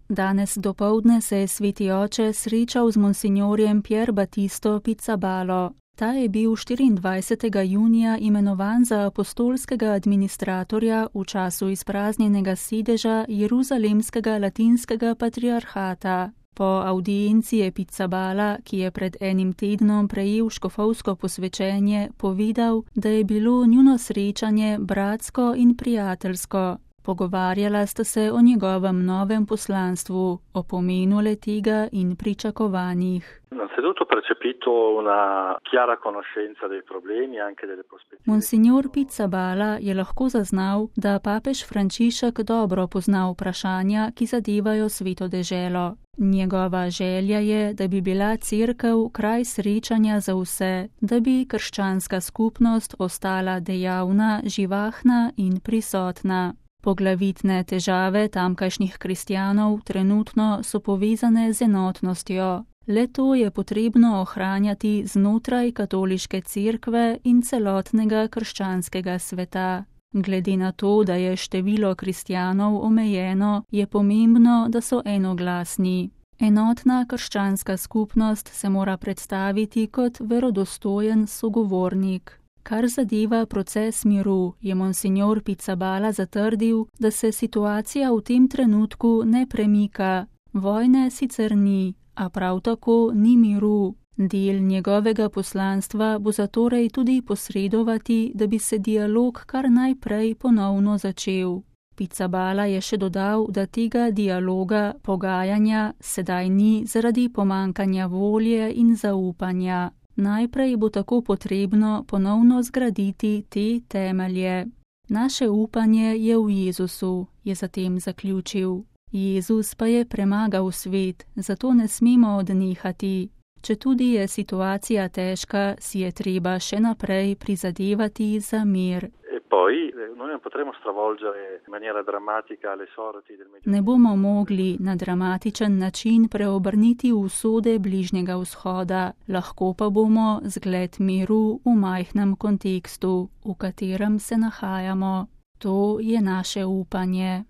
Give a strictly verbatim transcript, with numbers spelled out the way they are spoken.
Danes dopoldne se je sveti oče srečal z monsignorjem Pier Battisto Pizzabalo. Ta je bil štiriindvajsetega junija imenovan za apostolskega administratorja v času izpraznjenega sedeža Jeruzalemskega latinskega patriarhata. Po avdienci je Pizzabala, ki je pred enim tednom prejel škofovsko posvečenje, povedal, da je bilo njuno srečanje bratsko in prijateljsko. Pogovarjala sta se o njegovem novem poslanstvu, o pomenu le-tega in pričakovanjih. Monsignor Pizzabala je lahko zaznal, da papež Frančišek dobro pozna vprašanja, ki zadevajo Sveto deželo. Njegova želja je, da bi bila cerkev kraj srečanja za vse, da bi krščanska skupnost ostala dejavna, živahna in prisotna. Poglavitne težave tamkajšnjih kristjanov trenutno so povezane z enotnostjo. Le to je potrebno ohranjati znotraj katoliške cerkve in celotnega krščanskega sveta. Glede na to, da je število kristjanov omejeno, je pomembno, da so enoglasni. Enotna krščanska skupnost se mora predstaviti kot verodostojen sogovornik. Kar zadeva proces miru, je monsignor Pizzabala zatrdil, da se situacija v tem trenutku ne premika. Vojne sicer ni, a prav tako ni miru. Del njegovega poslanstva bo zatorej tudi posredovati, da bi se dialog kar najprej ponovno začel. Pizzabala je še dodal, da tega dialoga, pogajanja, sedaj ni zaradi pomankanja volje in zaupanja. Najprej bo tako potrebno ponovno zgraditi te temelje. Naše upanje je v Jezusu, je zatem zaključil. Jezus pa je premagal svet, zato ne smemo odnehati. Četudi je situacija težka, si je treba še naprej prizadevati za mir. Ne bomo mogli na dramatičen način preobrniti usode Bližnjega vzhoda, lahko pa bomo zgled miru v majhnem kontekstu, v katerem se nahajamo. To je naše upanje.